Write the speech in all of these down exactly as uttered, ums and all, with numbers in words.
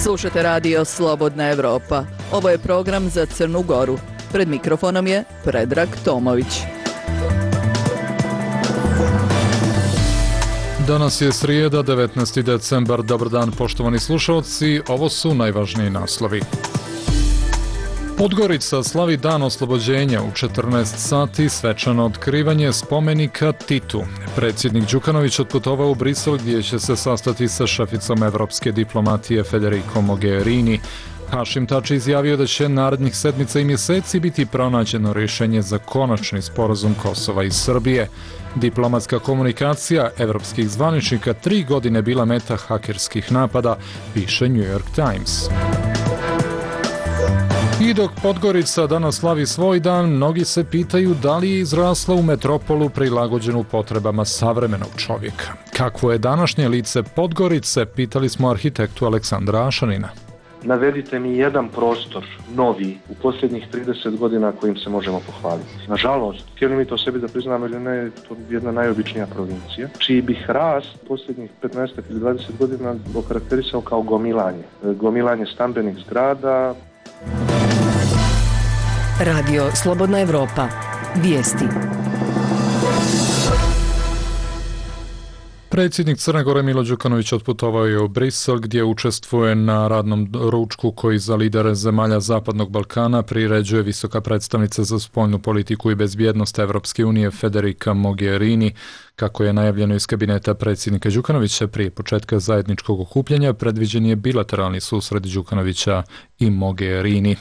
Slušate radio Slobodna Evropa. Ovo je program za Crnu Goru. Pred mikrofonom je Predrag Tomović. Danas je srijeda, devetnaesti decembar. Dobar dan, poštovani slušalci. Ovo su najvažniji naslovi. Podgorica slavi dan oslobođenja u četrnaest sati, svečano otkrivanje spomenika Titu. Predsjednik Đukanović otputovao u Brisel gdje će se sastati sa šeficom evropske diplomatije Federico Mogherini. Hašim Tači izjavio da će narednih sedmica i mjeseci biti pronađeno rješenje za konačni sporazum Kosova i Srbije. Diplomatska komunikacija evropskih zvaničnika tri godine bila meta hakerskih napada, piše New York Times. I dok Podgorica danas slavi svoj dan, mnogi se pitaju da li je izrasla u metropolu prilagođenu potrebama savremenog čovjeka. Kakvo je današnje lice Podgorice, pitali smo arhitektu Aleksandra Ašanina. Navedite mi jedan prostor, novi, u posljednjih trideset godina kojim se možemo pohvaliti. Nažalost, htjeli mi to sebi da priznamo ili ne, to je jedna najobičnija provincija, čiji bih rast posljednjih petnaest ili dvadeset godina okarakterisao kao gomilanje. Gomilanje stambenih zgrada. Radio Slobodna Evropa. Vijesti. Predsjednik Crne Gore Milo Đukanović otputovao je u Brisel gdje učestvuje na radnom ručku koji za lidere zemalja Zapadnog Balkana priređuje visoka predstavnica za spoljnu politiku i bezbjednost Evropske unije Federica Mogherini. Kako je najavljeno iz kabineta predsjednika Đukanovića prije početka zajedničkog okupljanja, predviđen je bilateralni susret Đukanovića i Mogherini.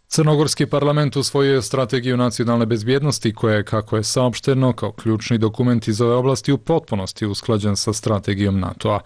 Crnogorski parlament usvojio je strategiju nacionalne bezbjednosti koja je, kako je saopšteno, kao ključni dokument iz ove oblasti u potpunosti usklađen sa strategijom NATO-a.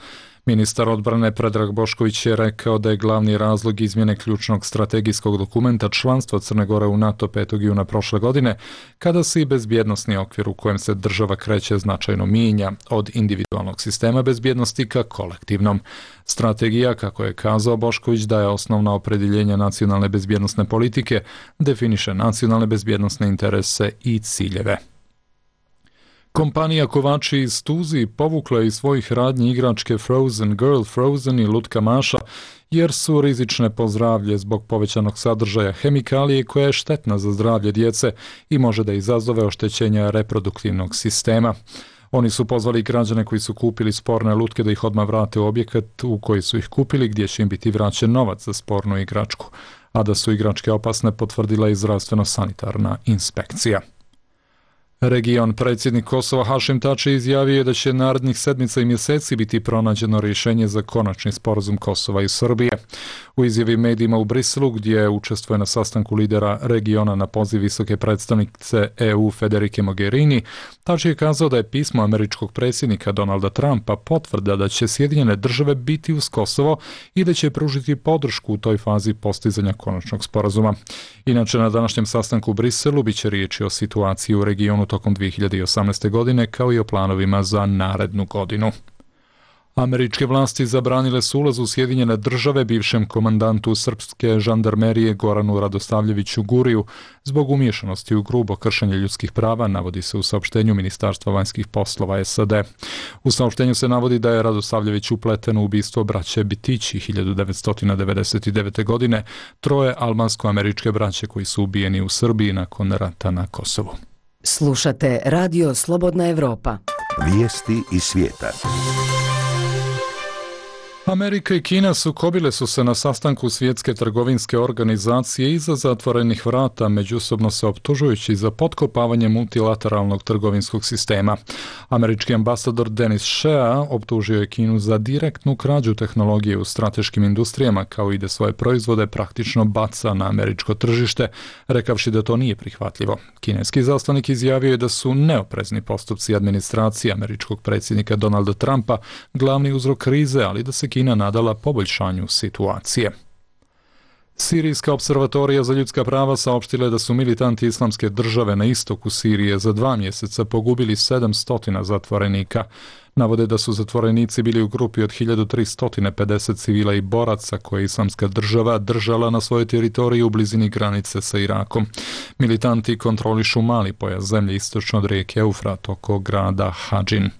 Ministar odbrane Predrag Bošković je rekao da je glavni razlog izmjene ključnog strategijskog dokumenta članstva Crne Gore u NATO petog juna prošle godine, kada se i bezbjednosni okvir u kojem se država kreće značajno mijenja od individualnog sistema bezbjednosti ka kolektivnom. Strategija, kako je kazao Bošković, daje osnovna opredjeljenja nacionalne bezbjednosne politike, definiše nacionalne bezbjednosne interese i ciljeve. Kompanija Kovači iz Tuzi povukla je iz svojih radnji igračke Frozen Girl, Frozen i Lutka Maša, jer su rizične po zdravlje zbog povećanog sadržaja hemikalije koja je štetna za zdravlje djece i može da izazove oštećenja reproduktivnog sistema. Oni su pozvali građane koji su kupili sporne lutke da ih odmah vrate u objekat u koji su ih kupili, gdje će im biti vraćen novac za spornu igračku, a da su igračke opasne potvrdila i zdravstveno-sanitarna inspekcija. Region predsjednik Kosova Hašim Tači izjavio je da će narednih sedmica i mjeseci biti pronađeno rješenje za konačni sporazum Kosova i Srbije. U izjavi medijima u Briselu, gdje učestvuje na sastanku lidera regiona na poziv visoke predstavnice E U Federice Mogherini, Tači je kazao da je pismo američkog predsjednika Donalda Trumpa potvrda da će Sjedinjene države biti uz Kosovo i da će pružiti podršku u toj fazi postizanja konačnog sporazuma. Inače, na današnjem sastanku u Briselu biće riječi o situaciji u regionu tokom dvije hiljade osamnaeste. godine, kao i o planovima za narednu godinu. Američke vlasti zabranile su ulaz u Sjedinjene države bivšem komandantu srpske žandarmerije Goranu Radosavljeviću Guriju zbog umiješanosti u grubo kršenje ljudskih prava, navodi se u saopštenju Ministarstva vanjskih poslova S A D. U saopštenju se navodi da je Radosavljević upleten u ubistvo braće Bitići hiljadu devetsto devedeset devete. godine, troje albansko-američke braće koji su ubijeni u Srbiji nakon rata na Kosovu. Slušate Radio Slobodna Evropa. Vijesti iz svijeta. Amerika i Kina sukobile su se na sastanku Svjetske trgovinske organizacije iza zatvorenih vrata, međusobno se optužujući za potkopavanje multilateralnog trgovinskog sistema. Američki ambasador Denis Shea optužio je Kinu za direktnu krađu tehnologije u strateškim industrijama, kao i da svoje proizvode praktično baca na američko tržište, rekavši da to nije prihvatljivo. Kineski zaslanik izjavio je da su neoprezni postupci administracije američkog predsjednika Donalda Trumpa glavni uzrok krize, ali da se Kina nadala poboljšanju situacije. Sirijska observatorija za ljudska prava saopštila je da su militanti islamske države na istoku Sirije za dva mjeseca pogubili sedamsto zatvorenika. Navode da su zatvorenici bili u grupi od hiljadu tristo pedeset civila i boraca koje je islamska država držala na svojoj teritoriji u blizini granice sa Irakom. Militanti kontrolišu mali pojas zemlje istočno od rijeke Eufrat oko grada Hadžin.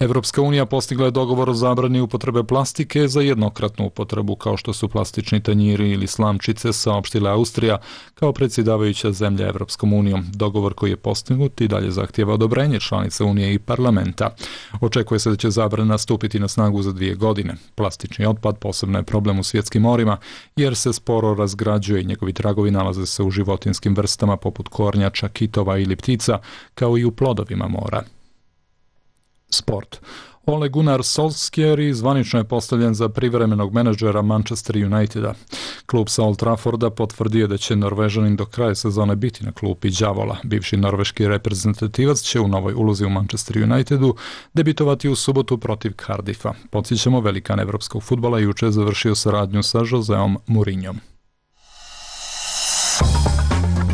Evropska unija postigla je dogovor o zabrani upotrebe plastike za jednokratnu upotrebu, kao što su plastični tanjiri ili slamčice, saopštila Austrija kao predsjedavajuća zemlja Evropskom unijom. Dogovor koji je postignut i dalje zahtijeva odobrenje članica Unije i parlamenta. Očekuje se da će zabrana stupiti na snagu za dvije godine. Plastični otpad posebno je problem u svjetskim morima jer se sporo razgrađuje i njegovi tragovi nalaze se u životinjskim vrstama poput kornjača, kitova ili ptica, kao i u plodovima mora. Sport. Ole Gunnar Solskjaer zvanično je postavljen za privremenog menadžera Manchester Uniteda. Klub sa Old Trafforda potvrdio da će Norvežanin do kraja sezone biti na klupi đavola. Bivši norveški reprezentativac će u novoj ulozi u Manchester Unitedu debitovati u subotu protiv Cardiffa. Podsjećamo, velikan evropskog fudbala juče je završio saradnju sa Joseom Mourinhom.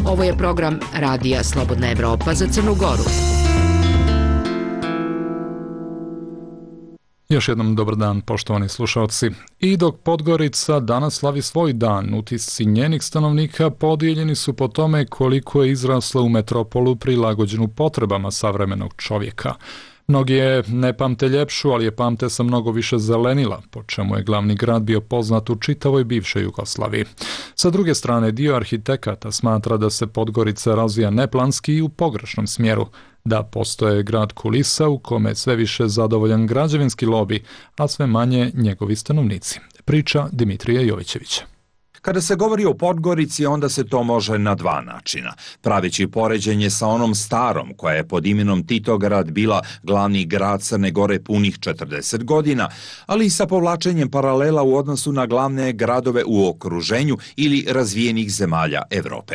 Ovo je program Radija Slobodna Evropa za Crnu Goru. Još jednom dobar dan, poštovani slušalci. I dok Podgorica danas slavi svoj dan, utisci njenih stanovnika podijeljeni su po tome koliko je izrasla u metropolu prilagođenu potrebama savremenog čovjeka. Mnogi je ne pamte ljepšu, ali je pamte sa mnogo više zelenila, po čemu je glavni grad bio poznat u čitavoj bivšoj Jugoslaviji. Sa druge strane, dio arhitekata smatra da se Podgorica razvija neplanski i u pogrešnom smjeru, da postoje grad kulisa u kome je sve više zadovoljan građevinski lobi, a sve manje njegovi stanovnici. Priča Dimitrija Jovićevića. Kada se govori o Podgorici, onda se to može na dva načina. Praveći poređenje sa onom starom, koja je pod imenom Titograd bila glavni grad Crne Gore punih četrdeset godina, ali i sa povlačenjem paralela u odnosu na glavne gradove u okruženju ili razvijenih zemalja Evrope.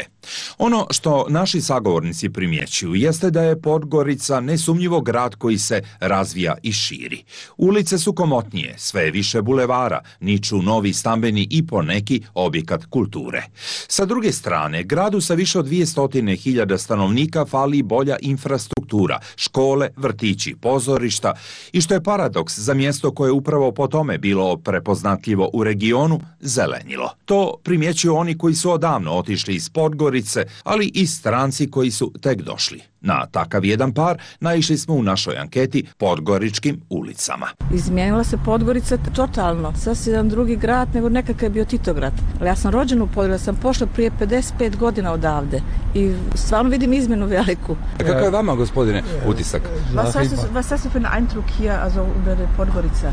Ono što naši sagovornici primjećuju jeste da je Podgorica nesumnjivo grad koji se razvija i širi. Ulice su komotnije, sve je više bulevara, niču novi stambeni i poneki objekat kulture. Sa druge strane, gradu sa više od dvjesto hiljada stanovnika fali bolja infrastruktura, škole, vrtići, pozorišta i što je paradoks za mjesto koje je upravo po tome bilo prepoznatljivo u regionu, zelenilo. To primjećuju oni koji su odavno otišli iz Podgorice, ali i stranci koji su tek došli. Na takav jedan par naišli smo u našoj anketi Podgoričkim ulicama. Izmijenila se Podgorica totalno. Sasvim jedan drugi grad nego nekakav je bio Titograd. Ali ja sam rođena u Podgorici, sam pošla prije pedeset pet godina odavde i stvarno vidim izmjenu veliku. A kako je vama, gospodine, utisak? Was hast du, was hast du für einen Eindruck hier, also über die Podgorica?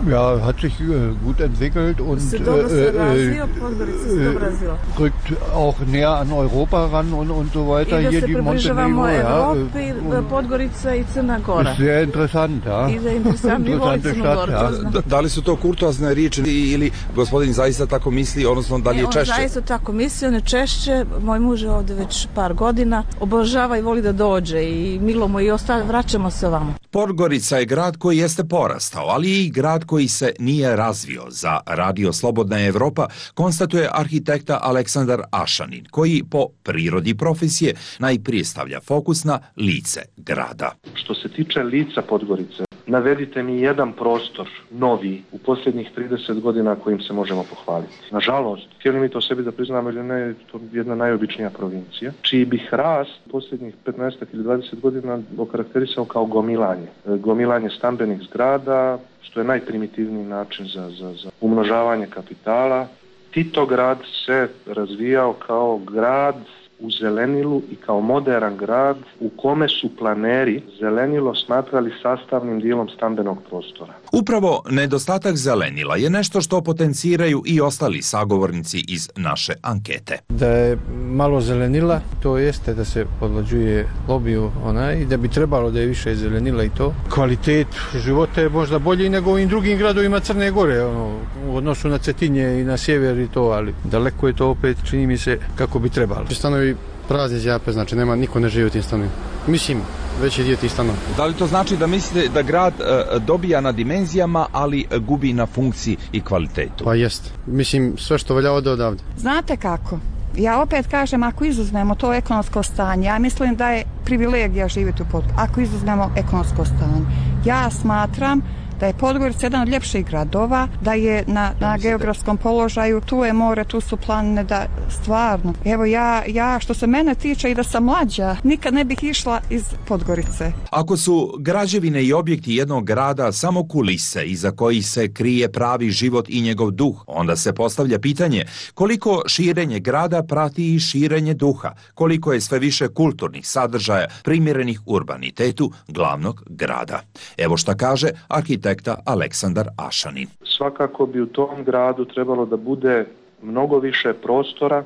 Ja, hat sich äh, gut entwickelt und Se dobro se razvio, Podgorica se dobro razvio. Rückt auch näher an Europa ran und, und so weiter. I da Hier se die približavamo Montenegro, Evropi, ja, Podgorica i Crna Gora. Sehr interessant, ja. I da je interesantno i voli Crnu Goru. Da, da li su to kurtoazne riječi ili gospodin zaista tako misli, odnosno da li je češće? On zaista tako misli, on je češće. Moj muž je ovdje već par godina. Obožava i voli da dođe i milo mu i osta, vraćamo se ovamo. Podgorica je grad koji jeste porastao, ali i grad koji se nije razvio. Za Radio Slobodna Evropa konstatuje arhitekta Aleksandar Ašanin, koji po prirodi profesije najprije stavlja fokus na lice grada. Što se tiče lica Podgorice, navedite mi jedan prostor novi u posljednjih trideset godina kojim se možemo pohvaliti. Nažalost, htjeli mi to sebi da priznamo ili ne, to je jedna najobičnija provincija, čiji bih rast posljednjih petnaest ili dvadeset godina okarakterisao kao gomilanje. Gomilanje stambenih zgrada, što je najprimitivniji način za, za, za umnožavanje kapitala. Titograd se razvijao kao grad u zelenilu i kao modern grad u kome su planeri zelenilo smatrali sastavnim dijelom stambenog prostora. Upravo nedostatak zelenila je nešto što potenciraju i ostali sagovornici iz naše ankete. Da je malo zelenila, to jeste da se podlađuje lobiju onaj, i da bi trebalo da je više zelenila i to. Kvalitet života je možda bolji nego u ovim drugim gradovima Crne Gore, ono, u odnosu na Cetinje i na sjever i to, ali daleko je to opet, čini mi se, kako bi trebalo. Stanovi prazni zjape, znači nema, niko ne živi u tim stanovima. Mislim, veći dio tih stanova. Da li to znači da mislite da grad e, dobija na dimenzijama, ali gubi na funkciji i kvalitetu? Pa jest. Mislim, sve što valja ode odavde. Znate kako? Ja opet kažem, ako izuzmemo to ekonomsko stanje, ja mislim da je privilegija živjeti u Podgorici. Ako izuzmemo ekonomsko stanje, ja smatram da je Podgorica jedan od ljepših gradova, da je na, na geografskom položaju, tu je more, tu su planine, da stvarno. Evo ja, ja što se mene tiče i da sam mlađa, nikad ne bih išla iz Podgorice. Ako su građevine i objekti jednog grada samo kulise iza kojih se krije pravi život i njegov duh, onda se postavlja pitanje koliko širenje grada prati i širenje duha, koliko je sve više kulturnih sadržaja primjerenih urbanitetu glavnog grada. Evo šta kaže arhitekta Aleksandar Ašanin. Svakako bi u tom gradu trebalo da bude mnogo više prostora e,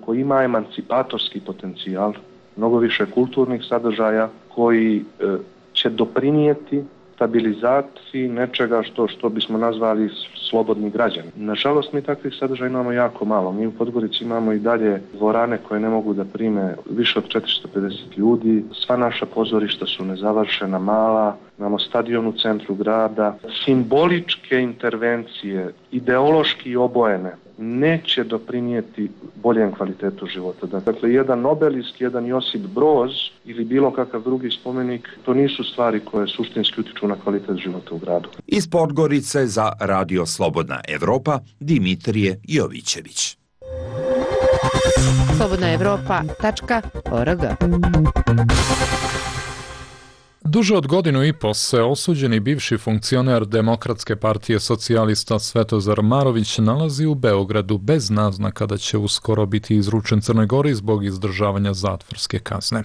koji ima emancipatorski potencijal, mnogo više kulturnih sadržaja koji e, će doprinijeti stabilizaciji nečega što, što bismo nazvali slobodni građani. Nažalost, mi takvih sadržaja imamo jako malo. Mi u Podgorici imamo i dalje dvorane koje ne mogu da prime više od četiristo pedeset ljudi. Sva naša pozorišta su nezavršena, mala. Imamo stadion u centru grada. Simboličke intervencije, ideološki obojene, neće doprinijeti boljem kvalitetu života. Dakle, jedan Nobelis, jedan Josip Broz ili bilo kakav drugi spomenik, to nisu stvari koje suštinski utiču na kvalitet života u gradu. Iz Podgorice za Radio Slobodna Evropa, Dimitrije Jovićević. slobodna evropa tačka org. Duže od godinu i po se osuđeni bivši funkcioner Demokratske partije socijalista Svetozar Marović nalazi u Beogradu bez naznaka da će uskoro biti izručen Crnoj Gori zbog izdržavanja zatvorske kazne.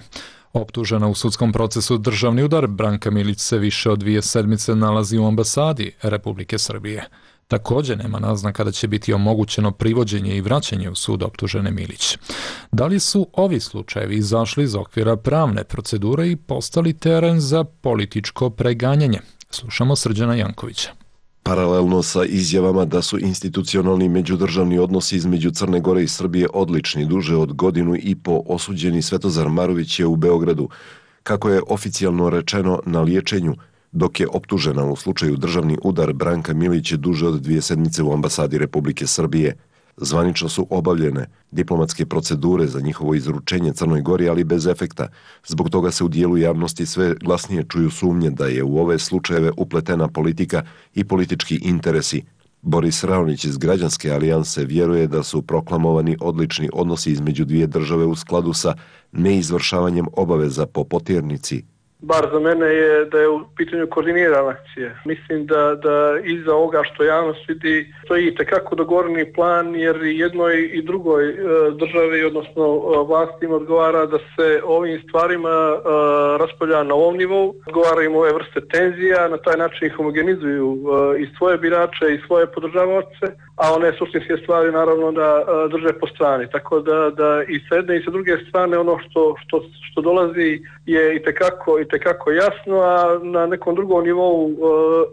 Optužena u sudskom procesu državni udar, Branka Milić se više od dvije sedmice nalazi u ambasadi Republike Srbije. Također nema naznaka da će biti omogućeno privođenje i vraćanje u sud optužene Milić. Da li su ovi slučajevi izašli iz okvira pravne procedure i postali teren za političko preganjanje? Slušamo Srđana Jankovića. Paralelno sa izjavama da su institucionalni međudržavni odnosi između Crne Gore i Srbije odlični, duže od godinu i po osuđeni Svetozar Marović je u Beogradu, kako je oficijalno rečeno, na liječenju, dok je optužena u slučaju državni udar Branka Milić duže od dvije sedmice u ambasadi Republike Srbije. Zvanično su obavljene diplomatske procedure za njihovo izručenje Crnoj Gori, ali bez efekta. Zbog toga se u dijelu javnosti sve glasnije čuju sumnje da je u ove slučajeve upletena politika i politički interesi. Boris Raonić iz Građanske alijanse vjeruje da su proklamovani odlični odnosi između dvije države u skladu sa neizvršavanjem obaveza po poternici. Bar za mene je da je u pitanju koordinirana akcija. Mislim da, da iza ovoga što javnost vidi stoji itekako dogovoreni plan, jer jednoj i drugoj e, državi, odnosno e, vlastima odgovara da se ovim stvarima e, raspravlja na ovom nivou, odgovara im ove vrste tenzija, na taj način ih homogenizuju e, i svoje birače i svoje podržavaoce, a one suštinske stvari naravno da e, drže po strani. Tako da, da i s jedne i sa druge strane ono što, što, što dolazi je itekako itekako jasno, a na nekom drugom nivou e,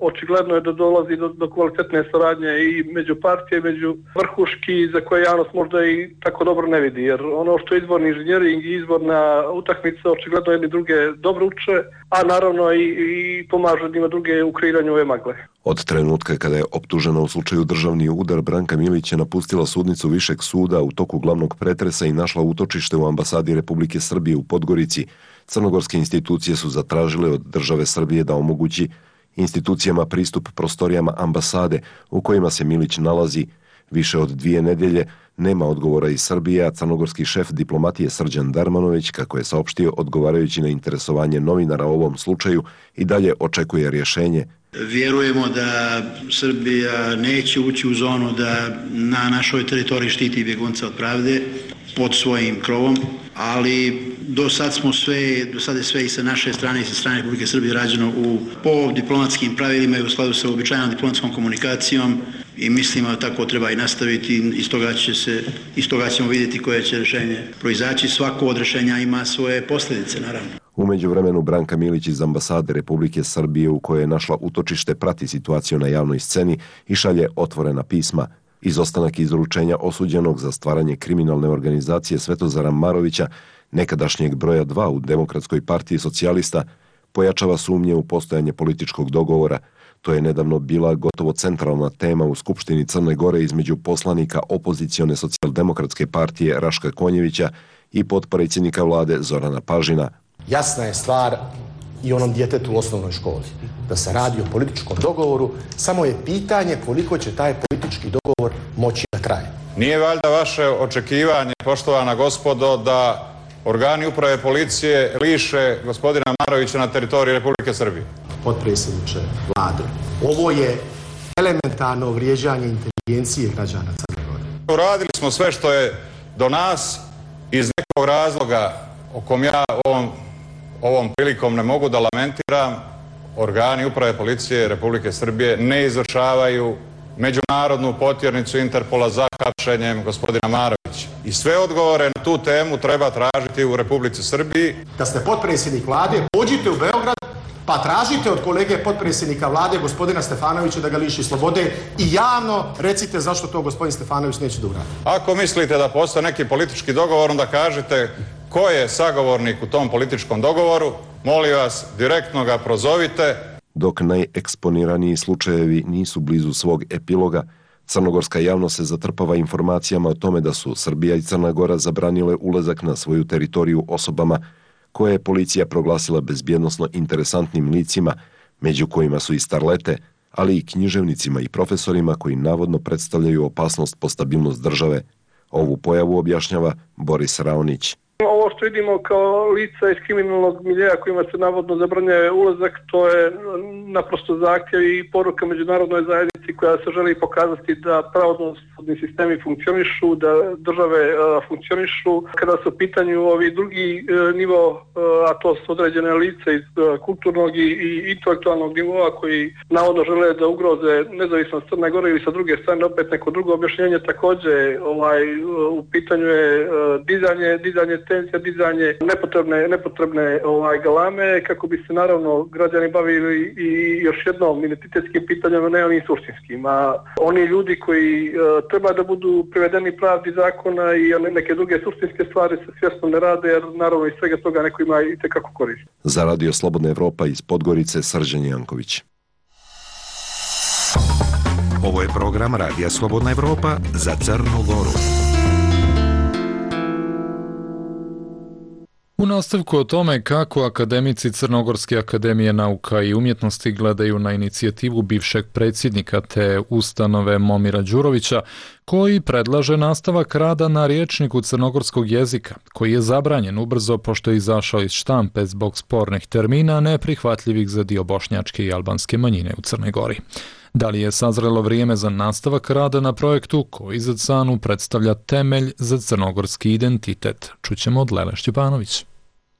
očigledno je da dolazi do, do kvalitetne saradnje i među partije, među vrhuški, za koje javnost možda i tako dobro ne vidi, jer ono što je izborni inženjering i izborna utakmica očigledno jedni druge dobro uče, a naravno i, i pomažu jednima druge u kreiranju ove magle. Od trenutka kada je optužena u slučaju državni udar, Branka Milić je napustila sudnicu Višeg suda u toku glavnog pretresa i našla utočište u ambasadi Republike Srbije u Podgorici. Crnogorske institucije su zatražile od države Srbije da omogući institucijama pristup prostorijama ambasade u kojima se Milić nalazi. Više od dvije nedelje nema odgovora iz Srbije, a crnogorski šef diplomatije Srđan Darmanović, kako je saopštio odgovarajući na interesovanje novinara o ovom slučaju, i dalje očekuje rješenje. Vjerujemo da Srbija neće ući u zonu da na našoj teritoriji štiti bjegunca od pravde pod svojim krovom, ali do sad smo sve, do sad je sve i sa naše strane i sa strane Republike Srbije rađeno u, po diplomatskim pravilima i u skladu sa uobičajenom diplomatskom komunikacijom i mislimo da tako treba i nastaviti. Iz toga će se, iz toga ćemo vidjeti koje će rješenje proizaći. Svako od rješenja ima svoje posljedice, naravno. U međuvremenu Branka Milić iz ambasade Republike Srbije u kojoj je našla utočište prati situaciju na javnoj sceni i šalje otvorena pisma. Izostanak izručenja osuđenog za stvaranje kriminalne organizacije Svetozara Marovića, nekadašnjeg broja dva u Demokratskoj partiji socijalista, pojačava sumnje u postojanje političkog dogovora. To je nedavno bila gotovo centralna tema u Skupštini Crne Gore između poslanika opozicione socijaldemokratske partije Raška Konjevića i potpredsjednika vlade Zorana Pažina. Jasna je stvar i onom djetetu u osnovnoj školi. Da se radi o političkom dogovoru, samo je pitanje koliko će taj politički dogovor moći da traje. Nije valjda vaše očekivanje, poštovana gospodo, da organi uprave policije liše gospodina Marovića na teritoriji Republike Srbije? Potpredsjedniče Vlade, ovo je elementarno vrijeđanje inteligencije građana Crne Gore. Uradili smo sve što je do nas iz nekog razloga o kom ja ovom, ovom prilikom ne mogu da lamentiram. Organi uprave policije Republike Srbije ne izvršavaju međunarodnu potjernicu Interpola za hapšenjem gospodina Marovića. I sve odgovore na tu temu treba tražiti u Republici Srbiji. Da ste potpredsjednik Vlade, pođite u Beograd pa tražite od kolege potpredsjednika Vlade, gospodina Stefanovića, da ga liši slobode i javno recite zašto to gospodin Stefanović neće da uradi. Ako mislite da postoji neki politički dogovor, onda kažete ko je sagovornik u tom političkom dogovoru, molim vas, direktno ga prozovite. Dok najeksponiraniji slučajevi nisu blizu svog epiloga, crnogorska javnost se zatrpava informacijama o tome da su Srbija i Crna Gora zabranile ulazak na svoju teritoriju osobama koje je policija proglasila bezbjednosno interesantnim licima, među kojima su i starlete, ali i književnicima i profesorima koji navodno predstavljaju opasnost po stabilnost države. Ovu pojavu objašnjava Boris Raonić. Ovo što vidimo kao lica iz kriminalnog miljeja kojima se navodno zabranjuje ulazak, to je naprosto zahtjev i poruka međunarodnoj zajednici koja se želi pokazati da pravosudni sistemi funkcionišu, da države a, funkcionišu. Kada su u pitanju ovi drugi a, nivo, a, a to su određene lice iz a, kulturnog i, i intelektualnog nivoa koji navodno žele da ugroze nezavisnost Crne Gore ili sa druge strane opet neko drugo objašnjenje, također ovaj, u pitanju je a, dizanje, dizanje tenzija, dizanje nepotrebne, nepotrebne ovaj, galame kako bi se naravno građani bavili i još jednom identitetskim pitanjama, ne onim suštinskim. A oni ljudi koji uh, treba da budu privedeni pravdi zakona i neke druge suštinske stvari se svjesno ne rade, jer naravno iz svega toga neko ima i tekako korist. Za Radio Slobodna Evropa iz Podgorice, Srđan Janković. Ovo je program Radija Slobodna Evropa za Crnu Goru. U nastavku o tome kako akademici Crnogorske akademije nauka i umjetnosti gledaju na inicijativu bivšeg predsjednika te ustanove Momira Đurovića, koji predlaže nastavak rada na rječniku crnogorskog jezika, koji je zabranjen ubrzo pošto je izašao iz štampe zbog spornih termina neprihvatljivih za dio bošnjačke i albanske manjine u Crnoj Gori. Da li je sazrelo vrijeme za nastavak rada na projektu koji za C A N U predstavlja temelj za crnogorski identitet? Čućemo od Lele Šćepanović.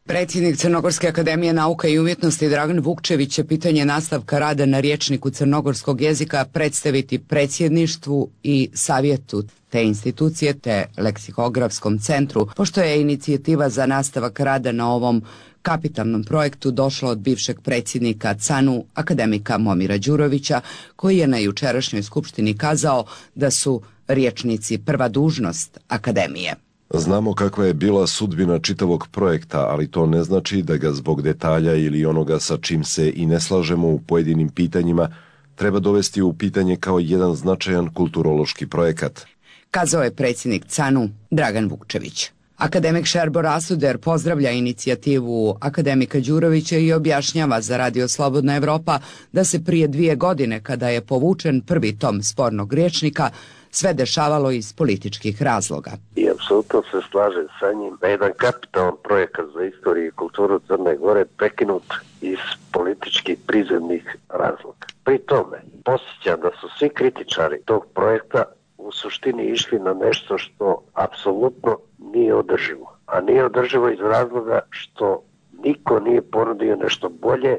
Predsjednik Crnogorske akademije nauka i umjetnosti Dragan Vukčević će pitanje nastavka rada na rječniku crnogorskog jezika predstaviti predsjedništvu i savjetu te institucije te leksikografskom centru, pošto je inicijativa za nastavak rada na ovom kapitalnom projektu došla od bivšeg predsjednika C A N U akademika Momira Đurovića, koji je na jučerašnjoj skupštini kazao da su rječnici prva dužnost akademije. Znamo kakva je bila sudbina čitavog projekta, ali to ne znači da ga zbog detalja ili onoga sa čim se i ne slažemo u pojedinim pitanjima treba dovesti u pitanje kao jedan značajan kulturološki projekat. Kazao je predsjednik C A N U Dragan Vukčević. Akademik Šerbo Rasuder pozdravlja inicijativu akademika Đurovića i objašnjava za Radio Slobodna Evropa da se prije dvije godine, kada je povučen prvi tom spornog rječnika, sve dešavalo iz političkih razloga. I apsolutno se slažem sa njim da je jedan kapitalan projekat za istoriju i kulturu Crne Gore prekinut iz političkih prizemnih razloga. Pri tome, posjećam da su svi kritičari tog projekta u suštini išli na nešto što apsolutno nije održivo. A nije održivo iz razloga što niko nije ponudio nešto bolje,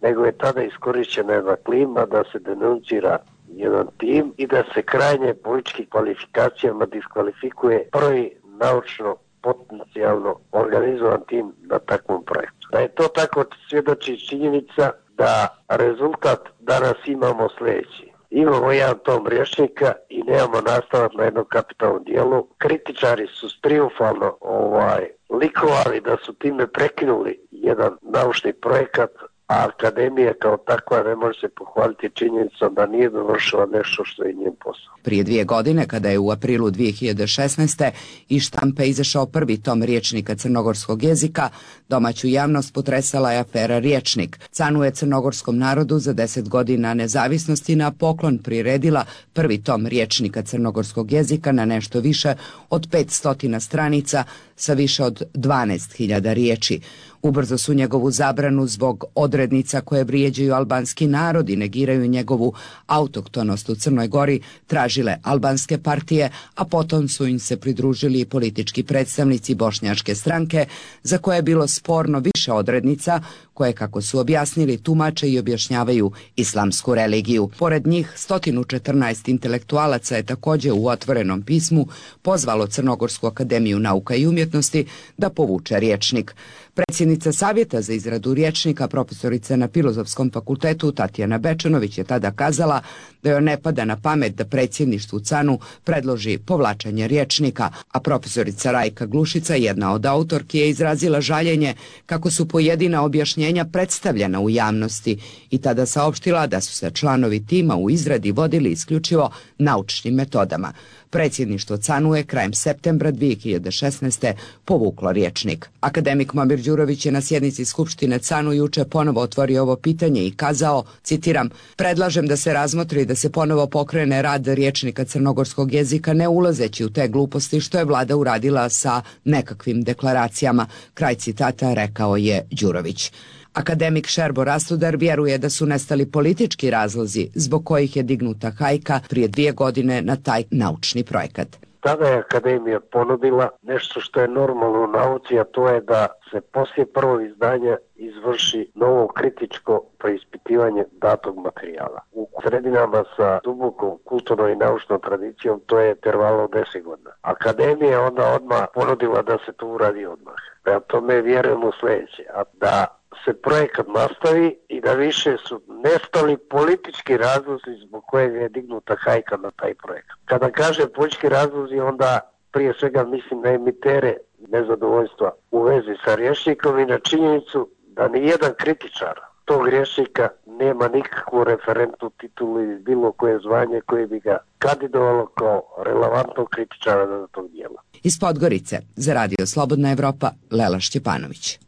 nego je tada iskorišćena jedna klima da se denuncira jedan tim i da se krajnje političkim kvalifikacijama diskvalifikuje prvi naučno potencijalno organizovan tim na takvom projektu. Da je to tako svjedoči činjenica da rezultat danas imamo sljedeći. Imamo jedan tom rječnika i nemamo nastavak na jednom kapitalnom dijelu. Kritičari su triumfalno ovaj, likovali da su time prekinuli jedan naučni projekat a akademija kao takva ne može se pohvaliti činjenicom da nije dovršila nešto što je njen posao. Prije dvije godine, kada je u aprilu dvije hiljade šesnaeste. iz štampe izašao prvi tom rječnika crnogorskog jezika, domaću javnost potresala je afera Rječnik. Canu je crnogorskom narodu za deset godina nezavisnosti na poklon priredila prvi tom rječnika crnogorskog jezika na nešto više od petsto stranica sa više od dvanaest hiljada riječi. Ubrzo su njegovu zabranu zbog odrednica koje vrijeđaju albanski narod i negiraju njegovu autohtonost u Crnoj Gori tražile albanske partije, a potom su im se pridružili i politički predstavnici bošnjačke stranke, za koje je bilo sporno više odrednica koje, kako su objasnili, tumače i objašnjavaju islamsku religiju. Pored njih, sto četrnaest intelektualaca je također u otvorenom pismu pozvalo Crnogorsku akademiju nauka i umjetnosti da povuče rječnik. Predsjednica Savjeta za izradu rječnika, profesorica na Filozofskom fakultetu Tatjana Bečanović, je tada kazala da joj ne pada na pamet da predsjedništvu Canu predloži povlačenje rječnika, a profesorica Rajka Glušica, jedna od autorki, je izrazila žaljenje kako su pojedina objašnjenja predstavljena u javnosti i tada saopštila da su se članovi tima u izradi vodili isključivo naučnim metodama. Predsjedništvo Canu je krajem septembra dvije hiljade šesnaeste. povuklo rječnik. Akademik Momir Đurović je na sjednici Skupštine Canu juče ponovo otvorio ovo pitanje i kazao, citiram, predlažem da se razmotri da se ponovo pokrene rad rječnika crnogorskog jezika, ne ulazeći u te gluposti što je vlada uradila sa nekakvim deklaracijama. Kraj citata, rekao je Đurović. Akademik Šerbo Rastudar vjeruje da su nestali politički razlozi zbog kojih je dignuta hajka prije dvije godine na taj naučni projekat. Tada je akademija ponudila nešto što je normalno u nauci, a to je da se poslije prvog izdanja izvrši novo kritičko preispitivanje datog materijala. U sredinama sa dubokom kulturnom i naučnom tradicijom to je intervalo od deset godina. Akademija je onda odmah ponudila da se to uradi odmah. Prema tome vjerujemo u sljedeće, a da se projekat nastavi i da više su nestali politički razlozi zbog kojeg je dignuta hajka na taj projekat. Kada kaže politički razlozi, onda prije svega mislim na emitere nezadovoljstva u vezi sa rječnikom i na činjenicu da ni jedan kritičar tog rječnika nema nikakvu referentnu titulu ili bilo koje zvanje koje bi ga kandidovalo kao relevantnog kritičara za tog dijela. Iz Podgorice, za Radio Slobodna Evropa, Lela Šćepanović.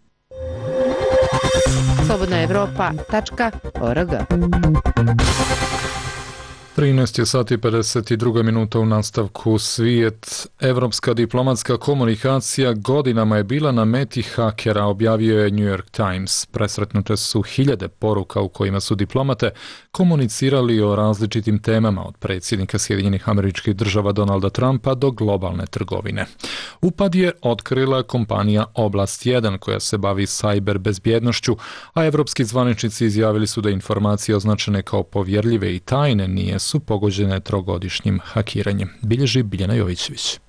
slobodna evropa tačka org. trinaest je sati i pedeset dva minuta u nastavku. Svijet. Evropska diplomatska komunikacija godinama je bila na meti hakera, objavio je New York Times. Presretnute su hiljade poruka u kojima su diplomate komunicirali o različitim temama, od predsjednika Sjedinjenih Američkih Država Donalda Trumpa do globalne trgovine. Upad je otkrila kompanija Oblast jedan koja se bavi sajber bezbjednošću, a evropski zvaničnici izjavili su da informacije označene kao povjerljive i tajne nije su pogođene trogodišnjim hakiranjem, bilježi Biljana Jovićević.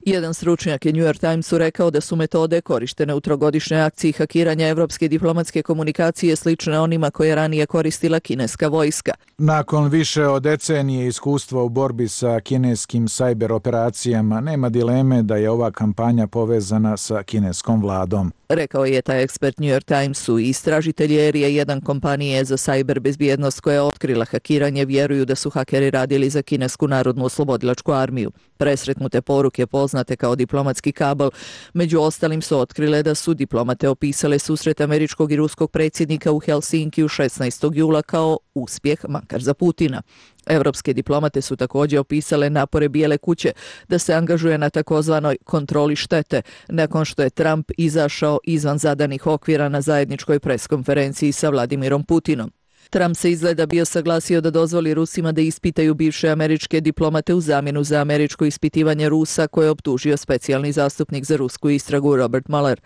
Jedan stručnjak je New York Timesu rekao da su metode korištene u trogodišnjoj akciji hakiranja evropske diplomatske komunikacije slične onima koje je ranije koristila kineska vojska. Nakon više od decenije iskustva u borbi sa kineskim sajber operacijama, nema dileme da je ova kampanja povezana sa kineskom vladom. Rekao je taj ekspert New York Timesu. Istražitelji Erije jedan kompanije za sajber bezbjednost koja je otkrila hakiranje vjeruju da su hakeri radili za kinesku narodnu oslobodilačku armiju. Presretnute poruke poznate kao diplomatski kabel, među ostalim su otkrile da su diplomate opisale susret američkog i ruskog predsjednika u Helsinkiju šesnaestog jula kao uspjeh, makar za Putina. Evropske diplomate su također opisale napore Bijele kuće da se angažuje na takozvanoj kontroli štete, nakon što je Trump izašao izvan zadanih okvira na zajedničkoj preskonferenciji sa Vladimirom Putinom. Trump se izgleda bio saglasio da dozvoli Rusima da ispitaju bivše američke diplomate u zamjenu za američko ispitivanje Rusa koje je optužio specijalni zastupnik za rusku istragu Robert Mueller.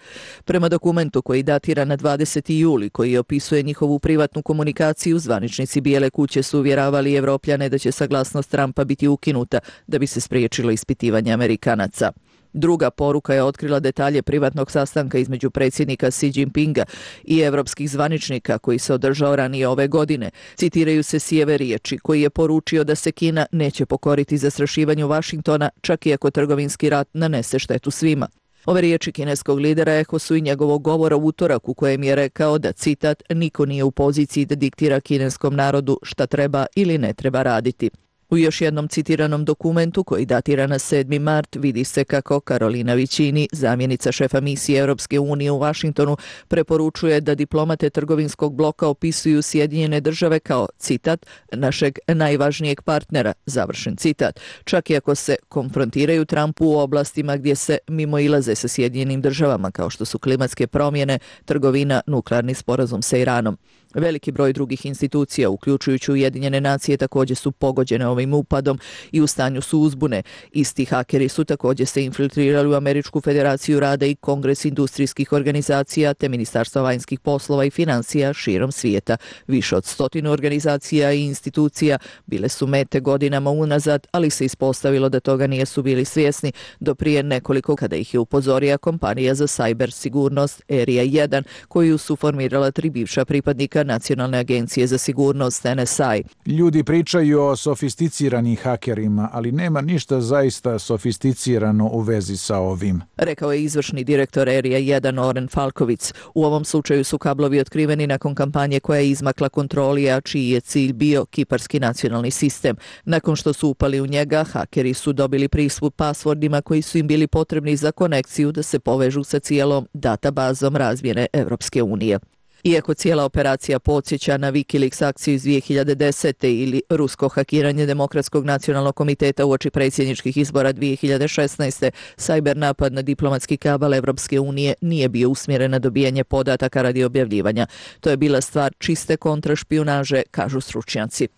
Prema dokumentu koji datira na dvadeseti juli, koji opisuje njihovu privatnu komunikaciju, zvaničnici Bijele kuće su uvjeravali Evropljane da će saglasnost Trumpa biti ukinuta da bi se spriječilo ispitivanje Amerikanaca. Druga poruka je otkrila detalje privatnog sastanka između predsjednika Xi Jinpinga i evropskih zvaničnika koji se održao ranije ove godine. Citiraju se Xijeve riječi koji je poručio da se Kina neće pokoriti zastrašivanju Vašingtona čak i ako trgovinski rat nanese štetu svima. Ove riječi kineskog lidera eho su i njegovog govora u utorak u kojem je rekao da, citat, niko nije u poziciji da diktira kineskom narodu šta treba ili ne treba raditi. U još jednom citiranom dokumentu koji datira na sedmi mart vidi se kako Karolina Vićini, zamjenica šefa misije Europske unije u Vašingtonu, preporučuje da diplomate trgovinskog bloka opisuju Sjedinjene države kao, citat, našeg najvažnijeg partnera, završen citat, čak i ako se konfrontiraju Trumpu u oblastima gdje se mimoilaze sa Sjedinjenim državama kao što su klimatske promjene, trgovina, nuklearni sporazum sa Iranom. Veliki broj drugih institucija, uključujući Ujedinjene nacije, također su pogođene ovim upadom i u stanju su uzbune. Isti hakeri su također se infiltrirali u Američku federaciju rada i Kongres industrijskih organizacija te Ministarstva vanjskih poslova i financija širom svijeta. Više od stotinu organizacija i institucija bile su mete godinama unazad, ali se ispostavilo da toga nisu bili svjesni do prije nekoliko kada ih je upozorila kompanija za sajber sigurnost Area jedan, koju su formirala tri bivša pripadnika Nacionalne agencije za sigurnost N S I. Ljudi pričaju o sofisticiranim hakerima, ali nema ništa zaista sofisticirano u vezi sa ovim, rekao je izvršni direktor Area jedan Oren Falkovic. U ovom slučaju su kablovi otkriveni nakon kampanje koja je izmakla kontroli, a čiji je cilj bio kiparski nacionalni sistem. Nakon što su upali u njega, hakeri su dobili pristup pasvordima koji su im bili potrebni za konekciju da se povežu sa cijelom databazom razmjene Evropske unije. Iako cijela operacija podsjeća na Wikileaks akciju iz dvije hiljade desete ili rusko hakiranje Demokratskog nacionalnog komiteta uoči predsjedničkih izbora dvije hiljade šesnaeste, sajber napad na diplomatski kabal Evropske unije nije bio usmjeren na dobijanje podataka radi objavljivanja. To je bila stvar čiste kontrašpijunaže, kažu stručnjaci.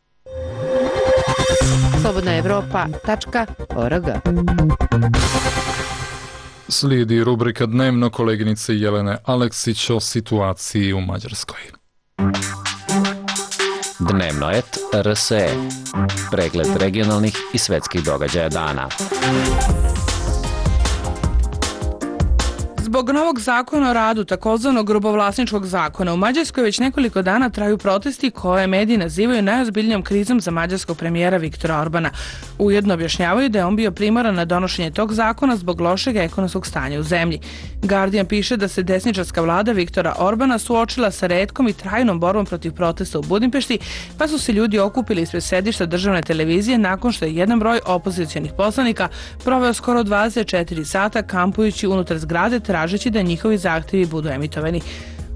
slobodna evropa tačka org. Slijedi rubrika Dnevno koleginice Jelene Aleksić o situaciji u Mađarskoj. Dnevno et R S E. Pregled regionalnih i svetskih događaja dana. Zbog novog zakona o radu, takozvanog grubovlasničkog zakona, u Mađarskoj već nekoliko dana traju protesti koje mediji nazivaju najozbiljnijom krizom za mađarskog premijera Viktora Orbana. Ujedno objašnjavaju da je on bio primoran na donošenje tog zakona zbog lošeg ekonomskog stanja u zemlji. Guardian piše da se desničarska vlada Viktora Orbana suočila sa retkom i trajnom borbom protiv protesta u Budimpešti, pa su se ljudi okupili ispred sedišta državne televizije nakon što je jedan broj opozicionih poslanika proveo skoro dvadeset četiri sata kampujući unutar zgrade tražeći da njihovi zahtjevi budu emitovani.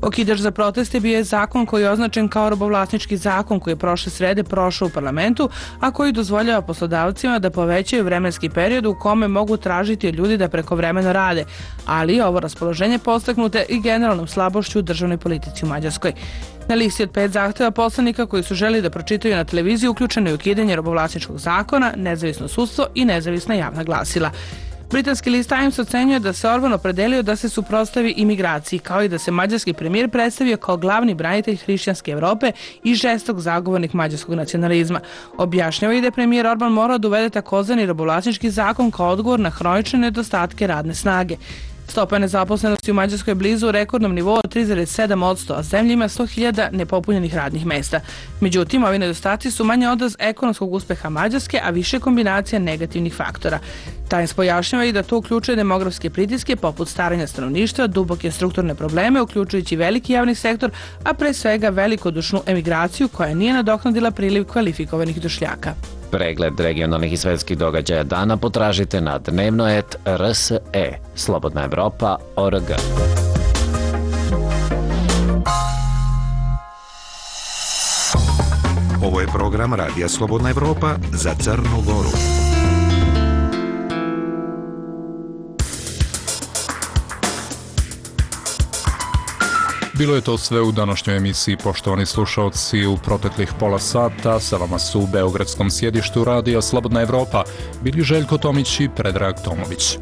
Okidač za proteste bio je zakon koji je označen kao robovlasnički zakon koji je prošle srede prošao u parlamentu, a koji dozvoljava poslodavcima da povećaju vremenski period u kome mogu tražiti od ljudi da prekovremeno rade, ali ovo raspoloženje postaknute i generalnom slabošću u državnoj politici u Mađarskoj. Na listi od pet zahtjeva poslanika koji su želi da pročitaju na televiziji uključeno je ukidanje robovlasničkog zakona, nezavisno sudstvo i nezavisna javna glasila. Britanski list Times ocenjuje da se Orban opredelio da se suprotstavi imigraciji, kao i da se mađarski premijer predstavio kao glavni branitelj hrišćanske Evrope i žestok zagovornik mađarskog nacionalizma. Objašnjava i da je premijer Orban morao da uvede takozvani robovlasnički zakon kao odgovor na hronične nedostatke radne snage. Stopa nezaposlenosti u Mađarskoj je blizu rekordnom nivou od tri zarez sedam posto, a zemlja ima sto hiljada nepopunjenih radnih mesta. Međutim, ovi nedostaci su manje odraz ekonomskog uspeha Mađarske, a više kombinacija negativnih faktora. Times pojašnjava i da to uključuje demografske pritiske poput staranja stanovništva, duboke strukturne probleme, uključujući veliki javni sektor, a pre svega velikodušnu emigraciju koja nije nadoknadila priliv kvalifikovanih došljaka. Pregled regionalnih i svetskih događaja dana potražite na dnevno et R S E. slobodna evropa tačka org. Ovo je program Radija Slobodna Evropa za Crnu Goru. Bilo je to sve u današnjoj emisiji, poštovani slušalci. U proteklih pola sata sa vama su u beogradskom sjedištu Radija Slobodna Evropa bili Željko Tomić i Predrag Tomović.